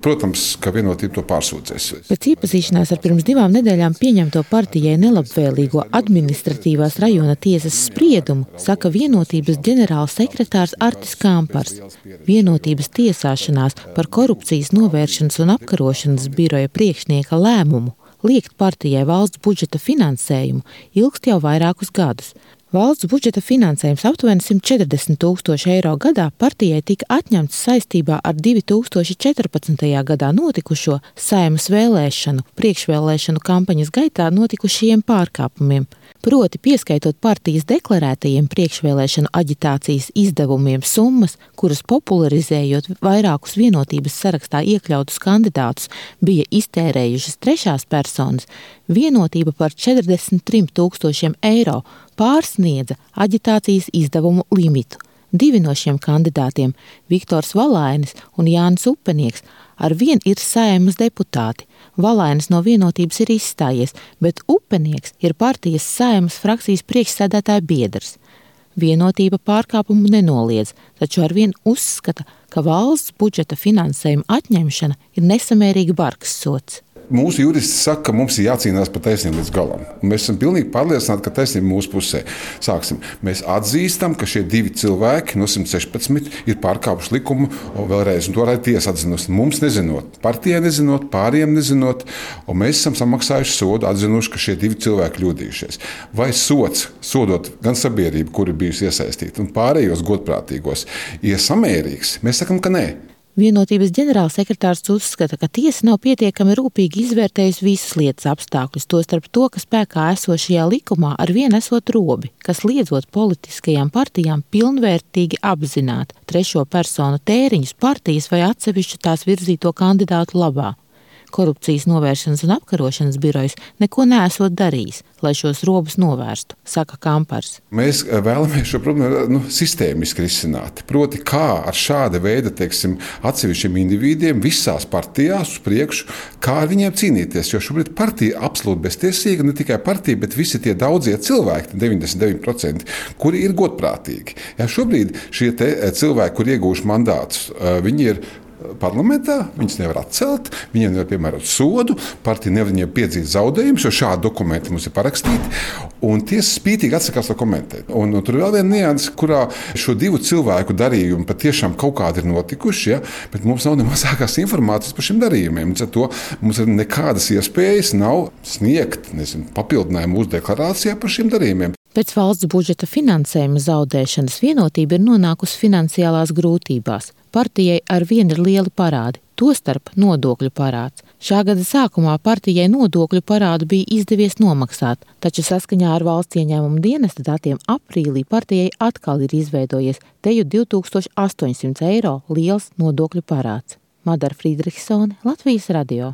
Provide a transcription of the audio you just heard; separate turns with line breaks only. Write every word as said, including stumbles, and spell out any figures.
protams, ka Vienotība to pārsūdzēs.
Pēc iepazīšanās ar pirms divām nedēļām pieņemto partijai nelabvēlīgo administratīvās rajona tiesas spriedumu, saka Vienotības ģenerāls sekretārs Artis Kampars. Vienotības tiesāšanās par korupcijas novēršanas un apkarošanas biroja priekšnieka lēmumu liekt partijai valsts budžeta finansējumu ilgst jau vairākus gadus. Valsts budžeta finansējums aptuveni simt četrdesmit tūkstoši eiro gadā partijai tika atņemts saistībā ar divi tūkstoši četrpadsmitajā gadā notikušo Saeimas vēlēšanu, priekšvēlēšanu kampaņas gaitā notikušajiem pārkāpumiem. Proti, pieskaitot partijas deklarētajiem priekšvēlēšanu aģitācijas izdevumiem summas, kuras popularizējot vairākus Vienotības sarakstā iekļautus kandidātus bija iztērējušas trešās personas, Vienotība par četrdesmit trim tūkstošiem eiro pārsniedza aģitācijas izdevumu limitu. Divi no šiem kandidātiem, Viktors Valainis un Jānis Upenieks, arvien ir Saeimas deputāti. Valainis no Vienotības ir izstājies, bet Upenieks ir partijas Saeimas frakcijas priekšsēdētāja biedrs. Vienotība pārkāpumu nenoliedz, taču arvien uzskata, ka valsts budžeta finansējuma atņemšana ir nesamērīgi bargs sods.
Mūsu juristi saka, ka mums ir jācīnās par taisnību līdz galam. Un mēs esam pilnīgi pārliecināti, ka taisnība mūsu pusē. Sāksim. Mēs atzīstam, ka šie divi cilvēki no simt sešpadsmit ir pārkāpuši likumu, un vēlreiz, un to arī tiesa atzinusi. Mums nezinot, partijai nezinot, pāriem nezinot, un mēs esam samaksājuši sodu, atzinuši, ka šie divi cilvēki kļūdījušies. Vai sods, sodot gan sabiedrību, kuri bijusi iesaistīta, un pārējos godprātīgos, ir samērīgs? Mēs sakam, ka nē.
Vienotības ģenerālsekretārs uzskata, ka tiesa nav pietiekami rūpīgi izvērtējusi visas lietas apstākļus, tostarp to, ka spēkā esošajā likumā arvien esot robi, kas liedzot politiskajām partijām pilnvērtīgi apzināt trešo personu tēriņus partijas vai atsevišķu tās virzīto kandidātu labā. Korupcijas novēršanas un apkarošanas birojas neko neesot darījis, lai šos robus novērstu, saka Kampars.
Mēs vēlamies šo problēmu nu, sistēmiski risināt. Proti, kā ar šāda veida, teiksim, atsevišķiem individiem visās partijās uz priekšu, kā ar viņiem cīnīties. Jo šobrīd partija absolūti beztiesīga, ne tikai partija, bet visi tie daudzie cilvēki, deviņdesmit deviņi procenti, kuri ir godprātīgi. Ja šobrīd šie te cilvēki, kur iegūši mandātus, viņi ir parlamentā, viņus nevar atcelt, viņiem nevar piemērot sodu, partija nevar viņiem piedzīt zaudējumus, jo šādi dokumenti mums ir parakstīti, un tiesa spītīgi atsakās to komentēt. Un, un tur ir vēl viena nianse, kurā šo divu cilvēku darījumi patiešām kaut kādi ir notikuši, ja, bet mums nav ne mazākās informācijas par šiem darījumiem. Līdz ar to mums ir nekādas iespējas nav sniegt, nezinu, papildinājumu mūsu deklarācijā par šiem darījumiem.
Pēc valsts budžeta finansējuma zaudēšanas Vienotība ir nonākusi finansiālās grūtībās. Partijai arvien ir lieli parādi, tostarp nodokļu parāds. Šā gada sākumā partijai nodokļu parādu bija izdevies nomaksāt, taču saskaņā ar valsts ieņēmumu dienesta datiem aprīlī partijai atkal ir izveidojies teju divi tūkstoši astoņsimt eiro liels nodokļu parāds. Madara Frīdrihsone, Latvijas radio.